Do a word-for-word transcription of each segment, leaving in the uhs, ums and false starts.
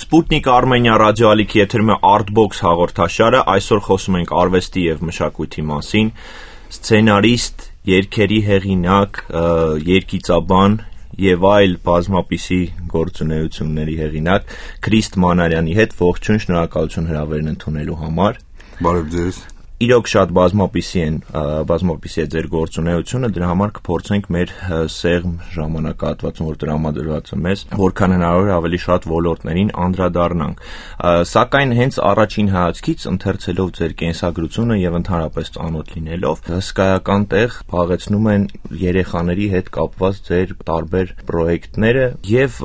Sputnik Armenia ռադիոալիքի եթերում է Artbox հաղորդաշարը, այսօր խոսում ենք արվեստի և մշակույթի մասին, սցենարիստ, երգերի հեղինակ, երգիծաբան և այլ բազմապիսի գործունեությունների հեղինակ Քրիստ Մանարյանի հետ, ողջույն, շնորհակալություն հրավերն ընդունելու համար։ Բարև ձեզ։ Իրոք շատ բազմապիսի են, բազմապիսի է ձեր գործունեությունը, դրա համար կփորձենք մեր սեղմ ժամանակահատվածում, որ տրամադրված է մեզ, որքան հնարավոր է ավելի շատ ոլորտներին անդրադառնանք։ Սակայն հենց առաջին հայացքից ընթերցելով ձեր կենսագրությունը եւ ընդհանրապես ծանոթ լինելով, հսկայական տեղ փաղեցնում են երեխաների հետ կապված ձեր տարբեր պրոյեկտները եւ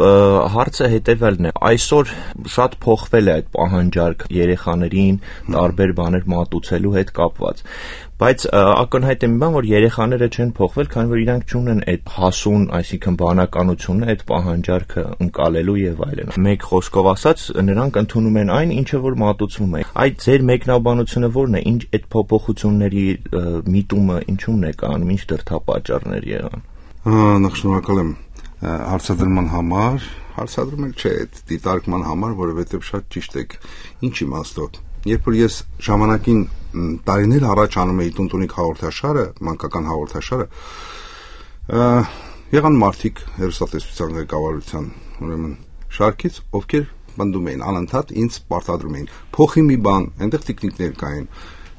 հարցը հետեւյալն է. այսօր շատ փոխվել է այդ պահանջարկը երեխաներին տարբեր բաներ մատուցելու հետ կապված, բայց ակնհայտ է մի բան, որ երեխաները չեն փոխվել, քանի որ իրանք չունեն այդ հասուն, այսինքն բանականությունը, այդ պահանջարկը ընկալելու եւ այլն։ Մեկ խոսքով ասած, նրանք ընդունում են այն, ինչը որ մատուցվում է։ Այդ ձեր մեկնաբանությունը ո՞րն է, ինչ այդ փոփոխությունների միտումը ինչու՞մն է կանում, ինչ դրդապատճառներ եղան։ Նախ շնորհակալ եմ հարցադրման համար, հարցադրում եք չէ, այդ դիտարկման համար, որովհետեւ շատ ճիշտ եք։ Ինչ իմաստով։ Երբ որ ես ժամանակին տարիներ առաջ անում էի Տունտունիկ հաղորդաշարը, մանկական հաղորդաշարը, եղան մարդիկ հեռուստատեսության ղեկավարության, ուրեմն շարքից, ովքեր պնդում էին, անընդհատ ինձ պարտադրում էին, փոխի մի բան, այնտեղ տիկնիկներ կային,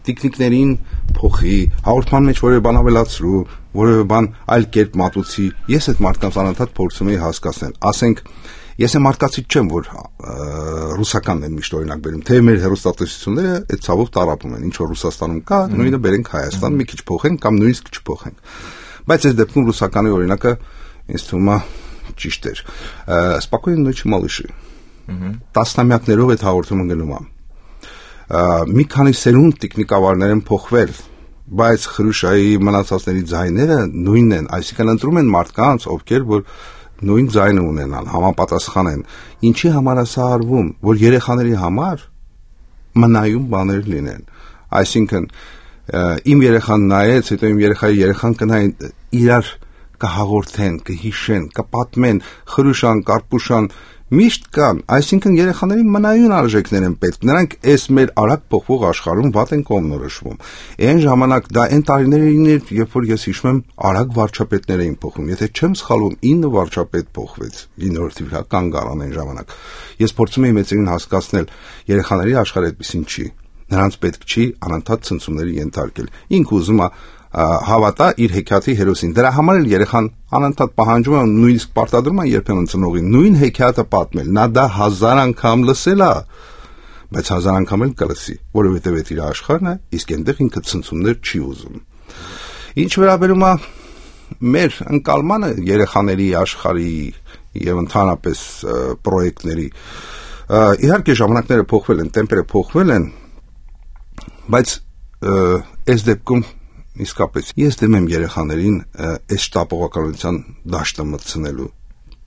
տիկնիկներին փոխի, հաղորդման մեջ որևէ բան ավելացրու, որևէ բան այլ կերպ մատուցի։ Ես այդ մարդկանց անընդհատ փորձում էի հասկացնել, ասենք Ես եմ արկածից չեմ, որ ռուսականն են միշտ օրինակ բերում, թե մեր հեռուստատեսությունները այդ ցավով տարապում են, ինչ որ Ռուսաստանում կա, նույնը բերենք Հայաստան, մի քիչ փոխենք կամ նույնիսկ չփոխենք։ Բայց այս դեպքում ռուսականի օրինակը ինձ թվում է ճիշտ էր։ Спокойной ночи, малыши։ Տասնամյակներով այդ հաղորդումը գնում է։ Մի քանի սերունդ տեխնիկավարներ են փոխվել, բայց Խրուշայի մնացածների ձայները նույնն են, այսինքն ընտրում են մարդկանց, ովքեր որ նույն ձայնը ունենան, համապատասխան են։ Ինչի համար է սա արվում, որ երեխաների համար մնայուն բաներ լինեն։ Այսինքն իմ երեխան նայեց, հետո իմ երեխայի երեխան կնային, իրար կհաղորդեն, կհիշեն, կպատմեն, Խրուշան, Կարպուշան միշտ կան, այսինքն երեխաների մնայուն արժեքներ են պետք, նրանք այս մեր արագ փոխվող աշխարհում վատ են կողմնորոշվում։ Այն ժամանակ դա այն տարիներին էր, երբ որ ես հիշում եմ, արագ վարչապետներ էին փոխվում, եթե չեմ սխալվում, ինը վարչապետ փոխվեց, իննովատիվ կան գարան այն ժամանակ։ Ես փորձում էի մեծերին հասկացնել, երեխաների աշխարհը այդպեսին չի, նրանց պետք չի անընդհատ ցնցումների ենթարկել։ Ինքը ուզում է հավատա իր հեքիաթի հերոսին։ Դրա համար էլ երեխան անընդհատ պահանջում է, նույնիսկ պարտադրում է երբեմն ծնողին նույն հեքիաթը պատմել։ Նա դա հազար անգամ լսել է, բայց հազար անգամ էլ կլսի, որովհետև այդ իր աշխարհն է, իսկ այնտեղ ինքը ցնցումներ չի ուզում։ Ինչ վերաբերում է մեր ընկալմանը երեխաների աշխարհի եւ ընդհանրապես պրոյեկտների, իհարկե ժամանակները փոխվել են, տեմպերը փոխվել են, բայց այս դեպքում իսկապես ես դեմ եմ երեխաներին այս շտապողականության դաշտը մտցնելու,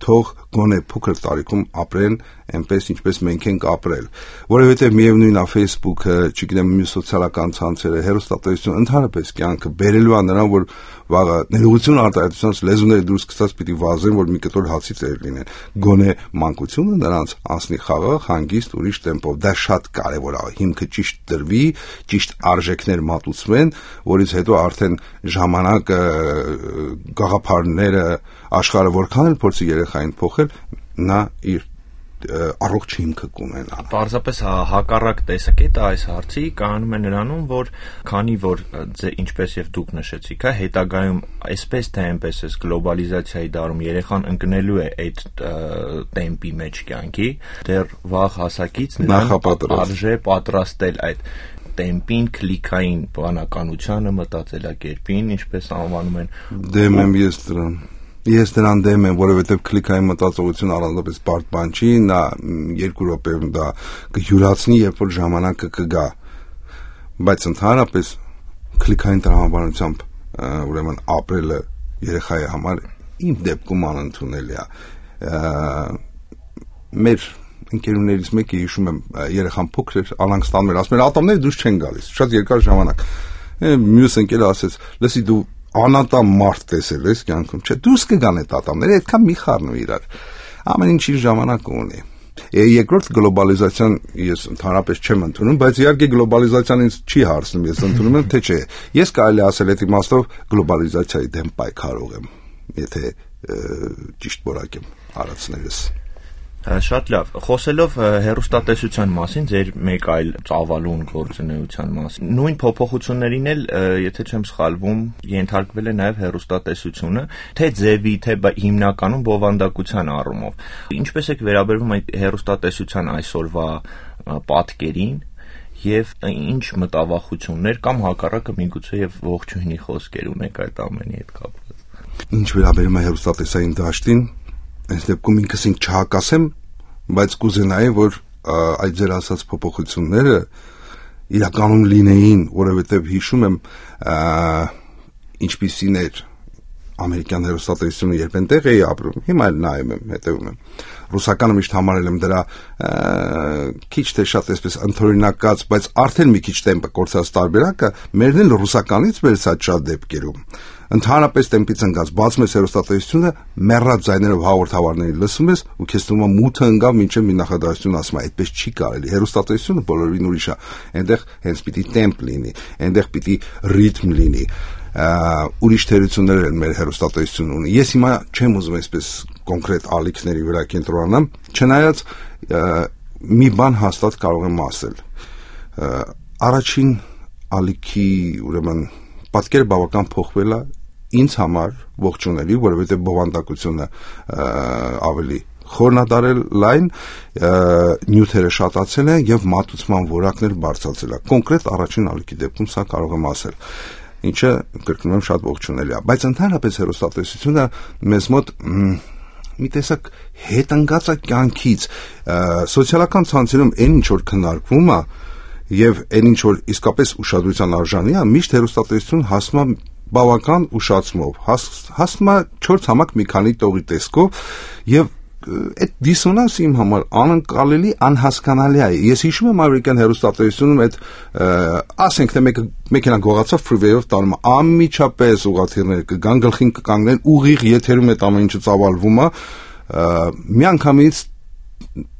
թող գոնե փոքր տարիքում ապրեն այնպես, ինչպես մենք ենք ապրել, որովհետև միևնույն է Facebook-ը, չգիտեմ, մյուս սոցիալական ցանցերը, հեռուստատեսությունը, ընդհանրապես կյանքը բերելու է նրան, որ վաղը ներողություն արտահայտությունից լեզուները դուրս գցած պիտի վազեն, որ մի կտոր հացի ծեր լինեն, գոնե մանկությունը նրանց անցնի խաղաղ, հանգիստ, ուրիշ տեմպով։ Դա շատ կարևոր է, հիմքը ճիշտ դրվի, ճիշտ արժեքներ մատուցվեն, որից հետո արդեն ժամանակը, գաղափարները, աշխարհը որքան էլ փորձի երեխային փոխել, նա իր առողջ հիմքը կունենա։ Պարզապես հակառակ տեսակետը այս հարցի կանում է նրանում, որ քանի որ ինչպես եւ դուք նշեցիք, հետագայում այսպես թե այնպես էս գլոբալիզացիայի դարում երեխան ընկնելու է այդ տեմպի մեջ կյանքի, դեռ վաղ հասակից նրան արժե պատրաստել այդ տեմպին, քլիկային բանականությանը, մտածելակերպին, ինչպես անվանում են։ Դեմ եմ ես դրան։ Ես դրան դեմ եմ, որովհետև քլիկային մտածողություն առանձնապես բարդ բան չի, նա երկու րոպեում դա կյուրացնի, երբ որ ժամանակը կգա, բայց ընդհանրապես քլիկային տրամաբանությամբ ուրեմն ապրելը երեխայի համար իմ դեպքում անընդունելի է։ Մեր ընկերուներից մեկը հիշում եմ, երեխան փոքր էր, անանք ստանում էր, ասում էր ատամները դուրս չեն գալիս, շատ երկար ժամանակ։ Մյուս ընկերը ասեց, լսի դու անատամ մարդ տեսել ես կյանքում, չէ, դուրս կգան այդ ատամները, այդքան մի խառնու իրար։ Ամեն ինչ իր ժամանակ ունի։ Երկրորդ գլոբալիզացիան ես ընդհանրապես չեմ ընդունում, բայց իհարկե գլոբալիզացիան ինձ չի հարցնում, ես ընդունում եմ, թե չէ։ Ես կարելի ասել այդ իմաստով գլոբալիզացիայի դեմ պայքարող եմ, եթե ճիշտ որակ եմ արածներս։ Շատ լավ, խոսելով հեռուստատեսության մասին, ձեր մեկ այլ ծավալուն գործունեության մասին, նույն փոփոխություններին էլ, եթե չեմ սխալվում, ենթարկվել է նաև հեռուստատեսությունը, թե ձևի, թե հիմնականում բովանդակության առումով։ Ինչպես եք վերաբերվում այդ հեռուստատեսության այսօրվա պատկերին եւ ինչ մտավախություններ կամ հակառակը միգուցե եւ ողջույնի խոսքեր ունեք այդ ամենի հետ կապված։ Ինչ վերաբերում է հեռուստատեսային դաշտին, այս դեպքում ինքս ինձ չհակասեմ, բայց կուզենայի, որ այդ ձեր ասած փոփոխությունները իրականում լինեին, որովհետև հիշում եմ ինչպիսին էր ամերիկյան հեռուստատեսությունը, երբ այնտեղ էի ապրում, հիմա էլ նայում եմ, հետևում եմ։ Ռուսականը միշտ համարել եմ դրա քիչ թե շատ այսպես ընդօրինակած, բայց արդեն մի քիչ տեմպը կորցած տարբերակը, մերն էլ ռուսականից վերցած շատ դեպքերում։ Ընդհանրապես տեմպից ընկած բացում ես հեռուստատեսությունը, մեռած ձայներով հաղորդավարների լսում ես ու քեզ թվում է մութը ընկավ մինչև մի նախադասություն ասում է, այդպես չի կարելի։ Հեռուստատեսությունը բոլորին ուրիշ է, այնտեղ հենց պիտի տեմպ լինի, այնտեղ պիտի ռիթմ լինի։ Ուրիշ թերություններ են մեր հեռուստատեսությունը ունի։ Ես հիմա չեմ ուզում այսպես կոնկրետ ալիքների վրա կենտրոնանամ, չնայած մի բան հաստատ կարող եմ ասել։ Առաջին ալիքի, ուրեմն, պատկերը բավական փոխվել է ինձ համար ողջունելի, որովհետև բովանդակությունը ավելի խորնադարել լայն, նյութերը շատացել են եւ մատուցման որակներ բարձրացել է։ Կոնկրետ առաջին ալիքի դեպքում սա կարող եմ ասել, ինչը կրկնում եմ շատ ողջունելի է, բայց ընդհանրապես հեռուստատեսությունը մեզ մոտ մի տեսակ հետ ընկած է կյանքից, սոցիալական ցանցերում այն ինչ որ քննարկվում է եւ այն ինչ որ իսկապես ուշադրության արժանի է, միշտ հեռուստատեսություն հասնում է բավական ուշացումով, հասնում է չորս համակ մի քանի տողի տեսքով եւ այդ դիսոնանսը իմ համար անկալելի, անհասկանալի է։ Ես հիշում եմ ամերիկյան հեռուստատեսությունում այդ ասենք թե մեկը մեքենա գողացավ ֆրիվեյով տանում անմիջապես ուղղաթիռներ կգան գլխին կկանգնեն ուղիղ եթերում այդ ամեն ինչը ծավալվում է միանգամից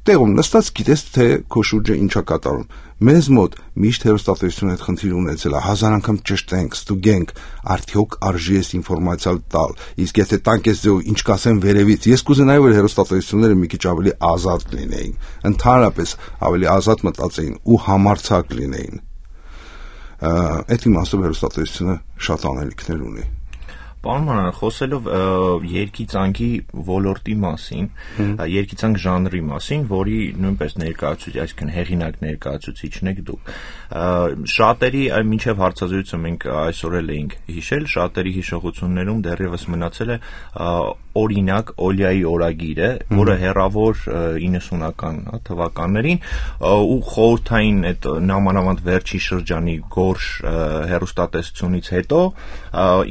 տեղում նստած գիտես թե քո շուրջը ինչա կատարում։ Մեզ մոտ միշտ հեռուստատեսությունը այդ խնդիրը ունեցել է, հազար անգամ ճշտենք, ստուգենք, արդյոք արժի էս ինֆորմացիա տալ, իսկ եթե տանք ես ձեւ ինչ կասեն վերևից, ես կուզենայի որ հեռուստատեսությունները մի քիչ ավելի ազատ լինեին, ընդհանրապես ավելի ազատ մտածեին ու համարձակ լինեին։ Այդ իմաստով հեռուստատեսությունը շատ անելիքներ ունի։ Պարոն Մանարյան, խոսելով երգիծանքի ոլորտի մասին, երգիծանք ժանրի մասին, որի նույնպես ներկայացուցիչ, այսինքն հեղինակ ներկայացուցիչն եք դուք։ Շատերի մինչև հարցազրույցը մենք այսօր էլ էինք հիշել, շատերի հիշողություններում դեռևս մնացել է օրինակ Օլիայի օրագիրը, որը հեռավոր իննսունական թվականներին ու խորհրդային այդ նամանավանդ վերջի շրջանի գորշ հեռուստատեսությունից հետո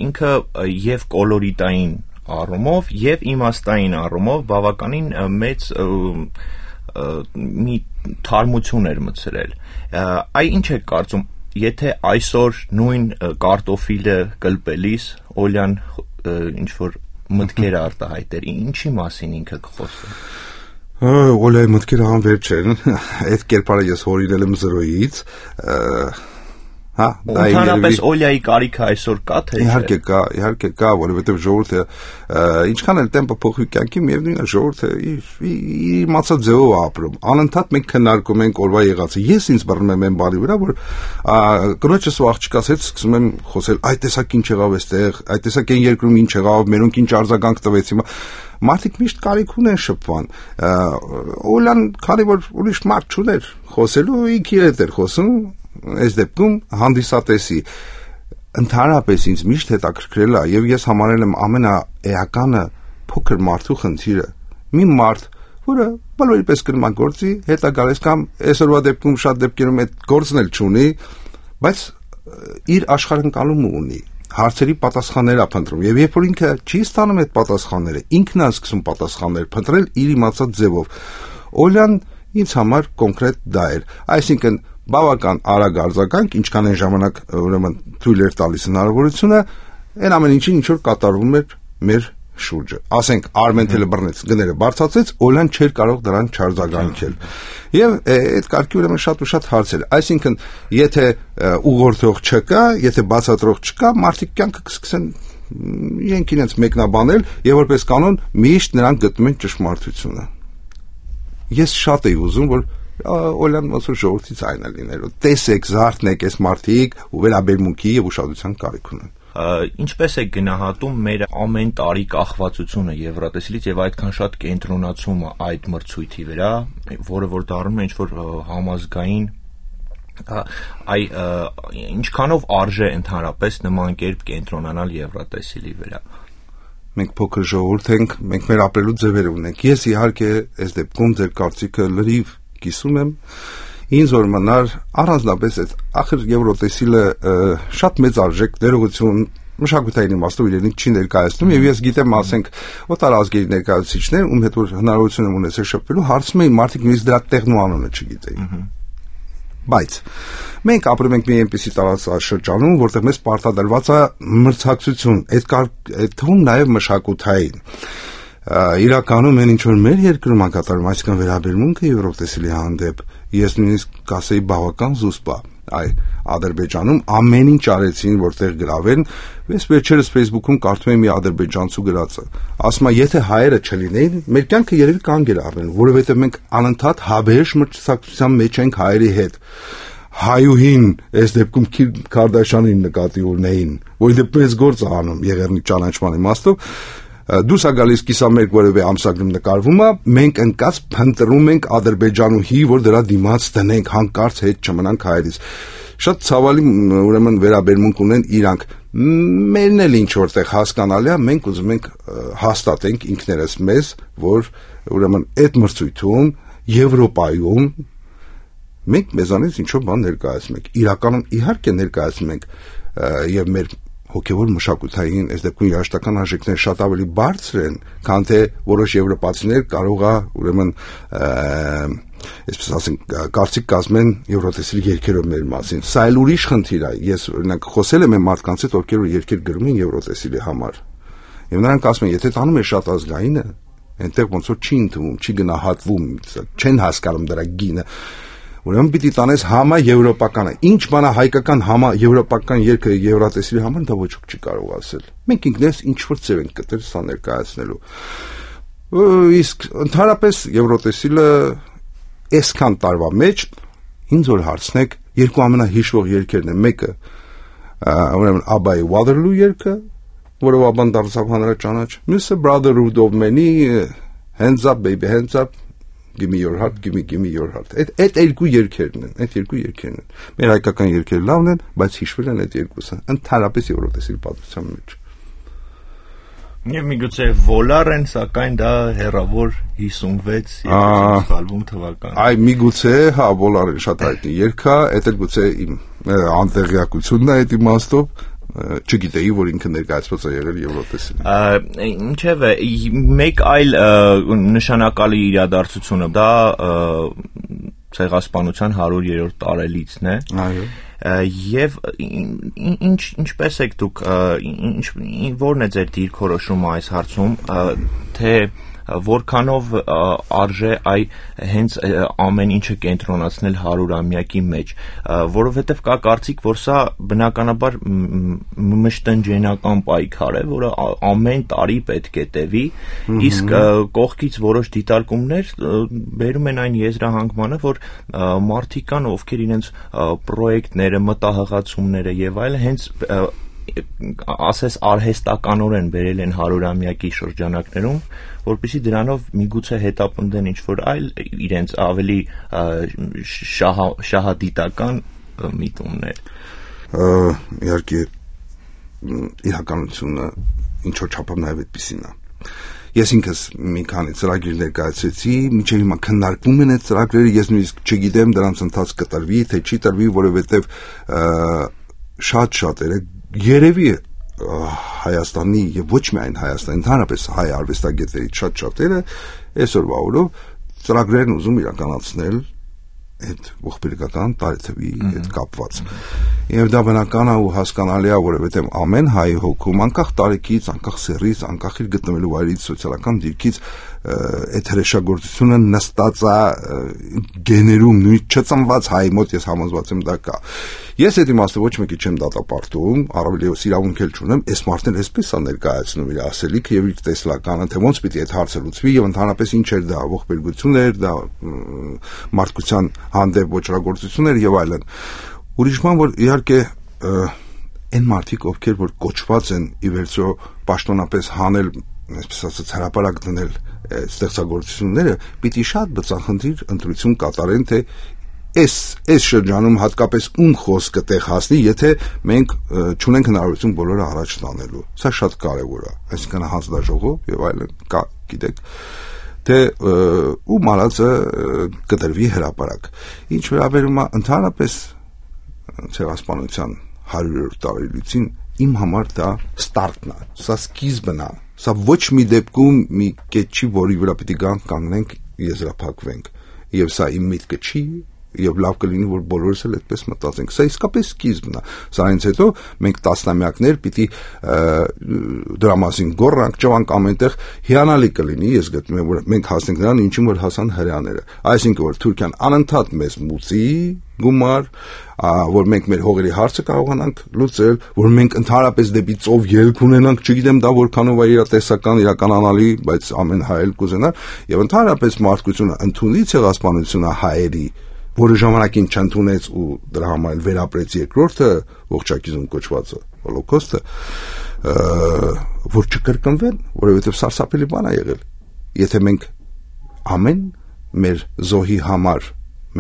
ինքը եւ կոլորիտային առումով եւ իմաստային առումով բավականին մեծ մի թարմություն էր մտցրել։ Այ ինչ եք կարծում, եթե այսօր նույն կարտոֆիլը կլպելիս Օլյան ինչ որ մտքեր արտահայտեր, ինչի մասին ինքը կխոսի։ Օլյայի մտքերը անվերջ են, այդ կերպարը ես հորինել եմ զրոյից, հա, դա ընդհանրապես Օլյայի կարիքը այսօր կա թե չէ։ Իհարկե կա, իհարկե կա, որովհետև ժողովուրդը ինչքան էլ տեմպը փոխվի կյանքի, միևնույն է ժողովուրդը իր մացած ձևով ապրում։ Անընդհատ մենք քննարկում ենք օրվա եղածը։ Ես ինձ բռնում եմ այն բանի վրա, որ կնոջս ու աղջկաս հետ սկսում եմ խոսել, այ տեսակ ինչ եղավ այստեղ, այ տեսակ այն երկրում ինչ եղավ, մերոնք ինչ արձագանք տվեց հիմա։ Մարդիկ միշտ կարիք ունեն շփման։ Օլան, քանի որ ուրիշ մարդ չուներ խոսելու, ինքը իր հետ էր խոսում, այս դեպքում հանդիսատեսի ընդհանրապես ինձ միշտ հետաքրքրել է եւ ես համարել եմ ամենաէականը փոքր մարդու խնդիրը։ Մի մարդ, որը բոլորի պես կրում է գործի, հետա գալիս կամ այսօրվա դեպքում շատ դեպքերում այդ գործն էլ չունի, բայց իր աշխարհընկալումը ունի։ Հարցերի պատասխաններ է փնտրում եւ երբ որ ինքը չի ստանում այդ պատասխանները, ինքն է սկսում պատասխաններ փնտրել իր իմացած ձևով։ Օլյան ինձ համար կոնկրետ դա էր, այսինքն բավական արագ արձագանք, ինչքան այն ժամանակ ուրեմն թույլ էր տալիս հնարավորությունը, այն ամեն ինչին ինչ որ կատարվում էր մեր շուրջը։ Ասենք Armentel-ը բռնեց, գները բարձրացեց, Օլան չէր կարող դրան չարձագանքել։ Եվ այդ կարգի ուրեմն շատ ու շատ հարցեր։ Այսինքն, եթե ուղղորդող չկա, եթե բացատրող չկա, մարդիկ կյանքը կսկսեն իրենք իրենց մեկնաբանել եւ որպես կանոն միշտ նրանք գտնում են ճշմարտությունը։ Ես շատ էի ուզում, որ Օլան ոնց որ ժողովրդի ցայնը լիներ։ Տեսեք, զարթնեք այս մարդիկ ու վերաբերմունքի եւ ուշադրության կարիք ունեն։ Ինչպես է գնահատում մեր ամեն տարի կախվածությունը Եվրատեսիլից եւ այդքան շատ կենտրոնացումը այդ մրցույթի վրա, որը որ դառնում է ինչ-որ համազգային այ ինչքանով արժե ընդհանրապես նման կերպ կենտրոնանալ Եվրատեսիլի վրա։ Մենք փոքր ժողովուրդ ենք, մենք մեր ապրելու ձևեր ունենք։ Ես իհարկե այս դեպքում ձեր կարծիքը լրիվ կիսում եմ։ Ինձ որ մնար առանձնապես այդ ախր Եվրոտեսիլը շատ մեծ արժեք ներողություն մշակութային իմաստով իրենից չի ներկայացնում եւ ես գիտեմ ասենք օտարազգերի ներկայացուցիչներ ում հետ որ հնարավորություն եմ ունեցել շփվելու հարցում էին մարդիկ նույնիսկ դրա տեղն ու անունը չգիտեին բայց մենք ապրում ենք մի այնպիսի տարածաշրջանում որտեղ մեզ պարտադրված է մրցակցություն այդ այդ թվում նաեւ մշակութային իրականում են ինչ որ մեր երկրում ակատարում այսքան վերաբերմունքը Եվրոտեսիլի հանդեպ ես նույնիսկ կասեի բավական զուսպ այ Ադրբեջանում ամեն ինչ արեցին որտեղ գրավեն ես վերջերս Facebook-ում կարդում եմ մի ադրբեջանցու գրածը ասում է եթե հայերը չլինեին մեր կյանքը երևի կանգ էր առնել որովհետև մենք անընդհատ հավերժ մրցակցության մեջ ենք հայերի հետ հայուհին այս դեպքում Քիմ Քարդաշյանին նկատի ունեին որ դեպքում ես գործ անում եղերնի ճանաչման իմաստով դուրս է գալիս կիսամերկ որևէ ամսագրում նկարվում է, մենք ընկած փնտրում ենք Ադրբեջանուհի, որ դրա դիմաց տնենք, հանկարծ հետ չմնանք հայերից։ Շատ ցավալի ուրեմն վերաբերմունք ունեն իրանք։ Մերն էլ ինչ որտեղ հասկանալի է, մենք ուզում ենք հաստատենք ինքներս մեզ, որ ուրեմն այդ մրցույթում Եվրոպայում մենք մեզանից ինչ-որ բան ներկայացնում ենք։ Իրականում իհարկե ներկայացնում ենք եւ մեր հոգևոր մշակութային այս դեպքում երաժշտական արժեքները շատ ավելի բարձր են, քան թե որոշ եվրոպացիներ կարող է ուրեմն այսպես ասենք կարծիք կազմեն Եվրոտեսիլի երգերով մեր մասին։ Սա էլ ուրիշ խնդիր է։ Ես օրինակ խոսել եմ այն մարդկանց հետ, ովքեր երգեր գրում են Եվրոտեսիլի համար։ Եվ նրանք ասում են, եթե տանում է շատ ազգայինը, այնտեղ ոնց որ չի ընդունում, չի գնահատվում, չեն հասկանում դրա գինը։ Ուրեմն պիտի տանես համա եվրոպականը։ Ինչ բան է հայկական համա եվրոպական երգը Եվրատեսիլի համար դա ոչ ոք չի կարող ասել։ Մենք ինքներս ինչ որ ձև ենք գտել սա ներկայացնելու։ Իսկ ընդհանրապես Եվրոտեսիլը այսքան տարվա մեջ ինձ որ հարցնեք երկու ամենահիշվող երգերն են մեկը ուրեմն Abba-ի Waterloo երգը, որը ապան դարձավ հանրաճանաչ, մյուսը Brotherhood of Man-ի Hands Up Baby Hands Up Give me your heart, give me, give me your heart. Այդ այդ երկու երգերն են, այդ երկու երգերն են։ Մեր հայկական երգերը լավն են, բայց հիշվել են այդ երկուսը, ընդհանրապես Եվրոտեսիլի պատմության մեջ։ Եվ միգուցե Volar են, սակայն դա հեռավոր հիսունվեց երկու թվական։ Այ միգուցե, հա, Volar-ը շատ հայտնի երգ է, այդ էլ գուցե իմ անտեղյակությունն է այդ իմաստով։ Չգիտեի, որ ինքը ներկայացված է եղել Եվրոտեսիլին։ Ինչևէ, մեկ այլ նշանակալի իրադարձությունը դա ցեղասպանության հարյուրերորդ տարելիցն է։ Այո։ Եվ ինչ ինչպես եք դուք որն է ձեր դիրքորոշումը այս հարցում, թե որքանով արժե այ հենց ամեն ինչը կենտրոնացնել հարյուրամյակի մեջ, որովհետև կա կարծիք, որ սա բնականաբար մշտնջենական պայքար է, որը ամեն տարի պետք է տևի, իսկ կողքից որոշ դիտարկումներ բերում են այն եզրահանգմանը, որ մարդիկ կան, ովքեր իրենց պրոյեկտները, մտահղացումները եւ այլն հենց ասես արհեստականորեն բերել են հարյուրամյակի շրջանակներում, որպեսզի դրանով միգուցե հետապնդեն ինչ-որ այլ իրենց ավելի շահադիտական միտումներ։ Իհարկե իրականությունը ինչ-որ չափով նաև այդպիսին է։ Ես ինքս մի քանի ծրագիր ներկայացրեցի, մինչև հիմա քննարկվում են այդ ծրագրերը, ես նույնիսկ չգիտեմ դրանց ընթաց կտրվի, թե չի տրվի, որովհետև շատ շատերը երևի Հայաստանի եւ ոչ միայն Հայաստանի, ընդհանրապես հայ արվեստագետների շատ շատերը այսօրվա օրով ծրագրերն ուզում իրականացնել այդ ողբերգական տարեթվի հետ կապված։ Եվ դա բնական է ու հասկանալի է, որովհետև ամեն հայ հոգում, անկախ տարեկից, անկախ սեռից, անկախ իր գտնվելու վայրից, սոցիալական դիրքից, այդ հրեշագործությունը նստած է գեներում, նույն չծնված հայ մոտ, ես համոզված եմ դա կա։ Ես այդ իմաստով ոչ մեկի չեմ դատապարտում, առավել ևս իրավունք էլ չունեմ, այս մարդն էսպես է ներկայացնում իր ասելիքը եւ իր տեսլականը, թե ոնց պիտի այդ հարցը լուծվի եւ ընդհանրապես ինչ էր դա, ողբերգություն էր, դա մարդկության հանդեպ ոչռագործություն էր եւ այլն։ Ուրիշ բան, որ իհարկե այն մարդիկ, ովքեր որ կոչված են ի վերջո պաշտոնապես հանել, այսպես ասած, հրապարակ դնել ստեղծագործությունները, պիտի շատ բծախնդիր ընտրություն կատարեն, թե Այս այս շրջանում հատկապես ում խոսքը տեղ հասնի, եթե մենք չունենք հնարավորություն բոլորը առաջ տանելու։ Սա շատ կարևոր է, այսինքն հանձնաժողով եւ այլն կա, գիտեք, թե ում արածը կդրվի հրապարակ։ Ինչ վերաբերում է ընդհանրապես ցեղասպանության հարյուրերորդ տարելիցին, իմ համար դա ստարտն է, սա սկիզբն է, սա ոչ մի դեպքում մի կետ չի, որի վրա պիտի գանք կանգնենք, եզրափակվենք, եւ սա իմ միտքը չի եւ լավ կլինի, որ բոլորս էլ այդպես մտածենք։ Սա իսկապես սկիզբն է։ Սրանից հետո մենք տասնամյակներ պիտի դրա մասին գոռանք, ճվանք ամենտեղ, հիանալի կլինի, ես գտնում եմ, որ մենք հասնենք նրան, ինչին որ հասան հրեաները։ Այսինքն, որ Թուրքիան անընդհատ մեզ մուծի գումար, որ մենք մեր հողերի հարցը կարողանանք լուծել, որ մենք ընդհանրապես դեպի ծով ելք ունենանք, չգիտեմ դա որքանով է իրատեսական, իրականանալի, բայց ամեն հայ էլ կուզենա, եւ ընդհանրապես մարդկությունը ընդունի ցեղասպանությունը հայերի, որը ժամանակին չընդունեց ու դրա համար վերապրեց երկրորդը ողջակիզում կոչվածը հոլոկոստը, որ չկրկնվեն, որովհետև սարսափելի բան է եղել։ Եթե մենք ամեն մեր զոհի համար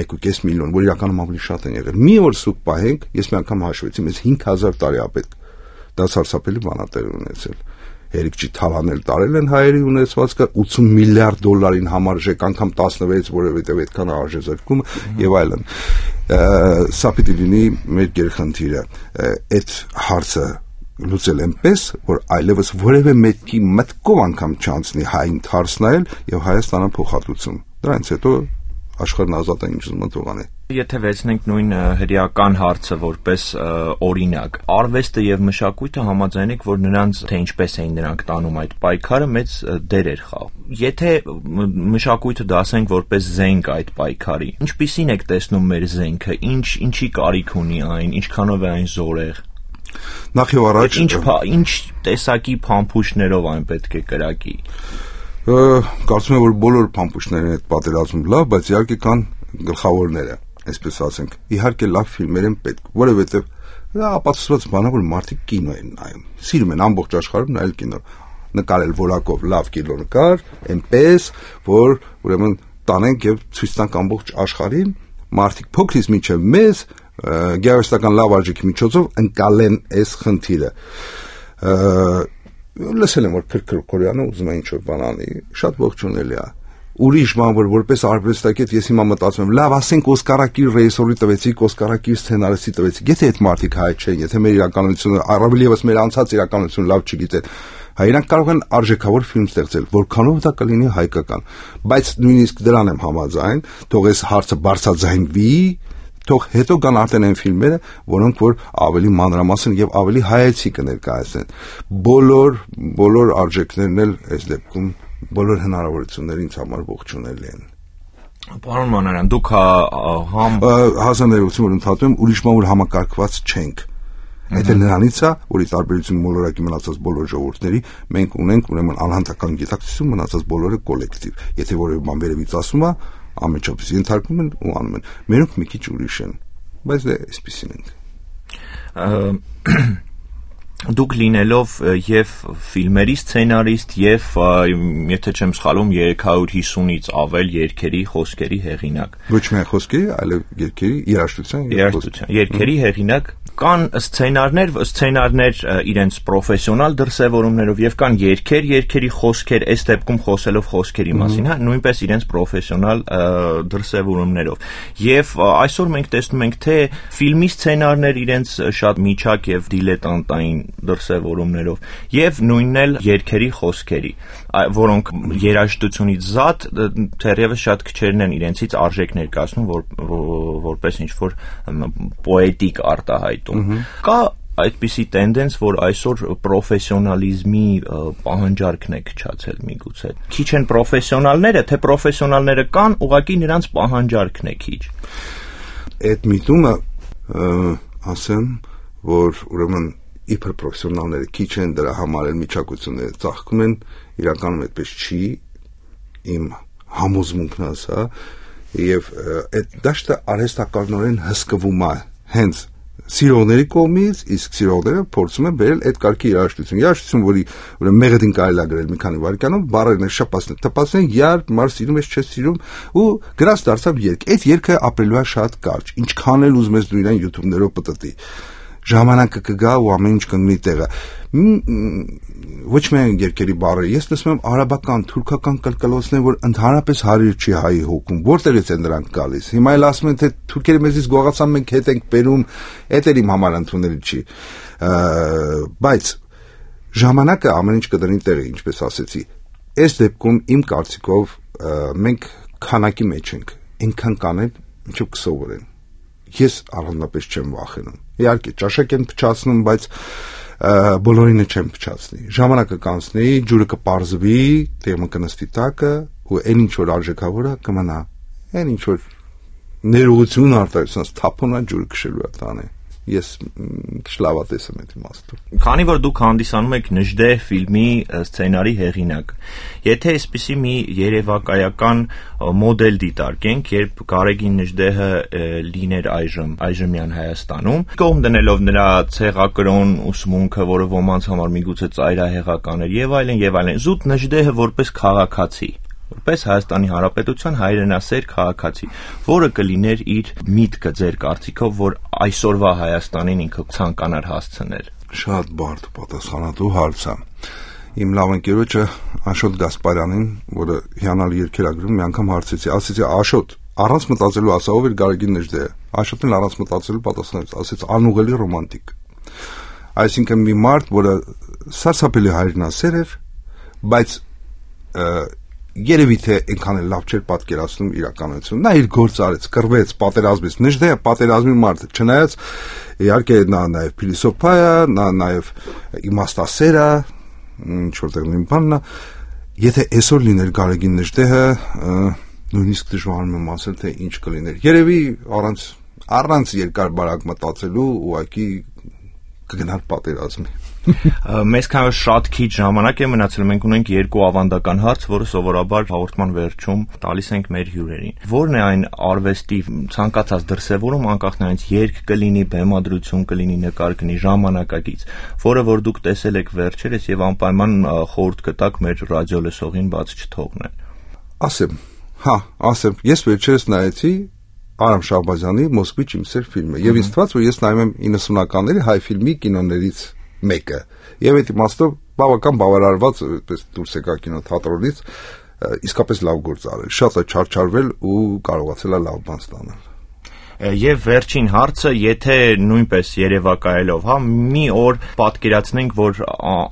մեկ ու կես միլիոն, որ իրականում ավելի շատ են եղել, մի օր սուկ պահենք, ես մի անգամ հաշվեցի, մեզ հինգ հազար տարի ապետք, դա սարսափելի բան է տեղ ունեցել։ Հերիք չի թալանել տարել են հայերի ունեցվածքը ութսուն միլիարդ դոլարին համարժեք, անգամ տասնվեց, որովհետև այդքան արժե զրկումը եւ այլն։ Սա պիտի լինի մեր գերխնդիրը, այդ հարցը լուծել այնպես, որ այլևս որևէ մեկի մտքով անգամ չանցնի հային հարց նայել եւ Հայաստանը փոխհատուցում։ Դրանից հետո աշխարհն ազատ է ինչ ուզում թողանի։ Եթե վերցնենք նույն հրեական հարցը որպես օրինակ, արվեստը եւ մշակույթը համաձայնեք, որ նրանց թե ինչպես էին նրանք տանում այդ պայքարը մեծ դեր էր խաղում։ Եթե մշակույթը դասենք որպես զենք այդ պայքարի, ինչպիսին եք տեսնում մեր զենքը, ինչ ինչի կարիք ունի այն, ինչքանով է այն զորեղ։ Նախ եւ առաջ ինչ ինչ տեսակի փամփուշտներով այն պետք է կրակի։ Կարծում եմ, որ բոլոր փամփուշտներն այդ պատերազմում լավ, բայց իհարկե կան գլխավորները, այսպես ասենք։ Իհարկե լավ ֆիլմեր են պետք, որովհետև դա ապացուցված բան է, որ մարդիկ կինո են նայում։ Սիրում են ամբողջ աշխարհում նայել կինո, նկարել որակով լավ կինոնկար, այնպես, որ ուրեմն տանենք եւ ցույց տանք ամբողջ աշխարհին, մարդիկ փոքրից մինչեւ մեզ գեղարվեստական լավ արժեքի միջոցով ընկալեն այս խնդիրը։ Լսել եմ, որ Քրքր Կորյանը ուզում է ինչ-որ բան անի, շատ ողջունելի է։ Ուրիշ բան, որ որպես արվեստագետ ես հիմա մտածում եմ, լավ, ասենք Օսկարակիր ռեժիսորի տվեցիք, Օսկարակիր սցենարիստի տվեցիք, եթե այդ մարդիկ հայ չեն, եթե մեր իրականությունը, առավել եւս մեր անցած իրականությունը լավ չգիտեն, հայրանք կարող են արժեքավոր ֆիլմ ստեղծել, որքանով դա կլինի հայկական, բայց նույնիսկ դրան եմ համաձայն, թող այս հարցը բարձրաձայնվի, թող հետո կան արդեն այն ֆիլմերը, որոնք որ ավելի մանրամասն եւ ավելի հայեցի կներկայացնեն։ Բոլոր բոլոր արժեքներն էլ այս դեպքում բոլոր հնարավորությունները ինձ համար ողջունելի են։ Պարոն Մանարյան, դուք համ հասանելիություն որ ընդհատում եմ, ուրիշ բան որ համակարգված չենք։ Այդ նրանից է, որ ի տարբերություն մոլորակի մնացած բոլոր ժողովուրդների, մենք ունենք ուրեմն անհատական գիտակցություն մնացած բոլորը կոլեկտիվ։ Եթե որևէ բան վերևից ասում է, ամենչափից ենթարկվում են ու անում են։ Մերոնք մի քիչ ուրիշ են, բայց դե այսպեսին ենք։ Դուք լինելով եւ ֆիլմերի սցենարիստ եւ եթե չեմ սխալվում երեք հարյուր հիսունից ավել երգերի, խոսքերի հեղինակ։ Ոչ միայն խոսքերի, այլև երգերի, երաժշտության, երաժշտության, երգերի հեղինակ։ Կան սցենարներ, սցենարներ իրենց պրոֆեսիոնալ դրսևորումներով եւ կան երգեր, երգերի խոսքեր, այս դեպքում խոսելով խոսքերի մասին, հա, նույնպես իրենց պրոֆեսիոնալ դրսևորումներով։ Եվ այսօր մենք տեսնում ենք, թե ֆիլմի սցենարներ իրենց շատ միջակ եւ դիլետանտային դրսևորումներով եւ նույնն էլ երգերի խոսքերի, որոնք երաժշտությունից զատ թերևս շատ քչերն են իրենցից արժեք ներկայացնում, որ որպես ինչ-որ պոետիկ արտահայտում։ Կա այդպիսի տենդենս, որ այսօր պրոֆեսիոնալիզմի պահանջարկն է քչացել միգուցե։ Քիչ են պրոֆեսիոնալները, թե պրոֆեսիոնալները կան, ուղղակի նրանց պահանջարկն է քիչ։ Այդ միտումը ասեմ, որ ուրեմն իբր պրոֆեսիոնալները քիչ են, դրա համար էլ միջակայությունները ծաղկում են, իրականում այդպես չի, իմ համոզմունքն է սա, եւ այդ դաշտը արհեստականորեն հսկվում է հենց սիրողների կողմից, իսկ սիրողները փորձում են բերել այդ կարգի երաժշտություն։ Երաժշտություն, որի ուրեմն մեղեդին կարելի է գրել մի քանի վայրկյանով, բառերն շփացնել, տպացնել, երբ մարդ սիրում ես, չես սիրում, ու գրած դարձավ երգ։ Այդ երգը ապրելու է շատ կարճ։ Ինչքան էլ ուզում ես դու իրան YouTube-ներով պտտի։ Ժամանակը կգա ու ամեն ինչ կընկնի տեղը։ Ոչ միայն երգերի բառերը, ես լսում եմ արաբական, թուրքական կլկլոցներ, որ ընդհանրապես հարիր չի հայի հոգում։ Որտեղից են դրանք գալիս։ Հիմա էլ ասում են, թե թուրքերը մեզից գողացան, մենք հետ ենք բերում, այդ էլ իմ համար ընդունելի չի։ Բայց ժամանակը ամեն ինչ կդնի տեղը, ինչպես ասեցի։ Այս դեպքում իմ կարծիքով մենք քանակի մեջ ենք, այնքան կանեն, ինչով կսովորեն։ Ես առանձնապես չեմ վախենում։ Իհարկե, ճաշակ են փչացնում, բայց բոլորինը չեմ փչացնի։ Ժամանակը կանցնի, ջուրը կպարզվի, տեղը կնստի տակը, ու այն ինչ որ արժեքավոր է կմնա։ Այն ինչ որ ներողություն արտահայտած թափոնա ջուրը քշելու է տանը։ Ես շլավատես եմ այդ իմաստով։ Քանի որ դուք հանդիսանում եք Նժդեհ ֆիլմի սցենարի հեղինակ, եթե այսպիսի մի երևակայական մոդել դիտարկենք, երբ Գարեգին Նժդեհը լիներ այժմ այժմյան Հայաստանում, կողմ դնելով նրա ցեղակրոն ուսմունքը, որը ոմանց համար միգուցե ծայրահեղական էր, եւ այլն, եւ այլն, զուտ Նժդեհը որպես քաղաքացի, որպես Հայաստանի Հանրապետության հայրենասեր քաղաքացի, որը կլիներ իր միտքը ձեր կարծիքով, որ այսօրվա Հայաստանին ինքը ցանկանար հասցնել։ Շատ բարդ պատասխանատու հարց է։ Իմ լավ ընկերոջը Աշոտ Գասպարյանին, որը հիանալի երգեր է գրում, մի անգամ հարցեցի, ասեցի Աշոտ, առանց մտածելու ասա ով էր Գարեգին Նժդեհը։ Աշոտն առանց մտածելու պատասխանեց, ասեց անուղելի ռոմանտիկ։ Այսինքն մի մարդ, որը սարսափելի հայրենասեր էր, բայց երևի թե այնքան էլ լավ չէր պատկերացնում իրականություն։ Նա իր գործը արեց, կռվեց, պատերազմեց։ Նժդեհը պատերազմի մարդ է, չնայած իհարկե նա նաև փիլիսոփա է, նա նաև իմաստասեր է, ինչ որտեղ նույն բանն է։ Եթե այսօր լիներ Գարեգին Նժդեհը, նույնիսկ դժվարանում եմ ասել, թե ինչ կլիներ։ Երևի առանց առանց երկար բարակ մտածելու ուղղակի կգնար պատերազմի։ Մեզ քանի շատ քիչ ժամանակ է մնացել, մենք ունենք երկու ավանդական հարց, որը սովորաբար հաղորդման վերջում տալիս ենք մեր հյուրերին։ Որն է այն արվեստի ցանկացած դրսևորում, անկախ նրանից երգ կլինի, բեմադրություն կլինի, նկար կլինի, ժամանակակից, որը որ դուք տեսել եք վերջերս եւ անպայման խորհուրդ կտաք մեր ռադիո լսողին բաց չթողնել։ Ասեմ, հա, ասեմ, ես վերջերս նայեցի Արամ Շահբազյանի Մոսկվի Չիմսեր ֆիլմը, եւ ինձ թվաց, որ ես նայում եմ իննսունականների հայ ֆիլմի կինոներից մեկը։ Եվ այդ իմաստով բավական բավարարված այդպես դուրս եկա կինոթատրոնից, իսկապես լավ գործ արել, շատ է չարչարվել ու կարողացել է լավ բան ստանալ։ Եվ վերջին հարցը, եթե նույնպես երևակայելով, հա, մի օր պատկերացնենք, որ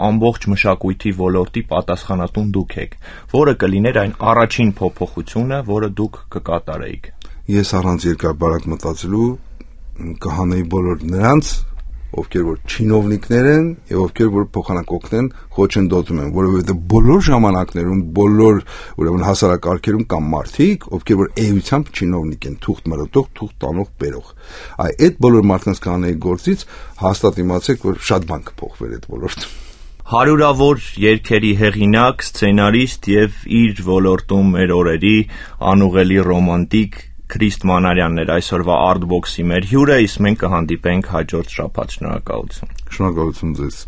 ամբողջ մշակույթի ոլորտի պատասխանատուն դուք եք, որը կլիներ այն առաջին փոփոխությունը, որը դուք կկատարեիք։ Ես առանց երկար բարակ մտածելու կհանեի բոլոր նրանց, ովքեր որ չինովնիկներ են եւ ովքեր որ փոխանակ օգնեն խոչընդոտում են, որովհետեւ բոլոր ժամանակներում, բոլոր ուրեմն հասարակարգերում կան մարդիկ, ովքեր որ էությամբ չինովնիկ են, թուղթ մրոտող, թուղթ տանող, բերող։ Այ այդ բոլոր մարդկանց կանեի գործից հաստատ իմացեք, որ շատ բան կփոխվեր այդ ոլորտում։ Հարյուրավոր երգերի հեղինակ, սցենարիստ եւ իր ոլորտում մեր օրերի անուղելի ռոմանտիկ Քրիստ Մանարյանն էր այսօրվա Artbox-ի մեր հյուրը, իսկ մենք կհանդիպենք հաջորդ շաբաթ։ Շնորհակալություն։ Շնորհակալություն ձեզ։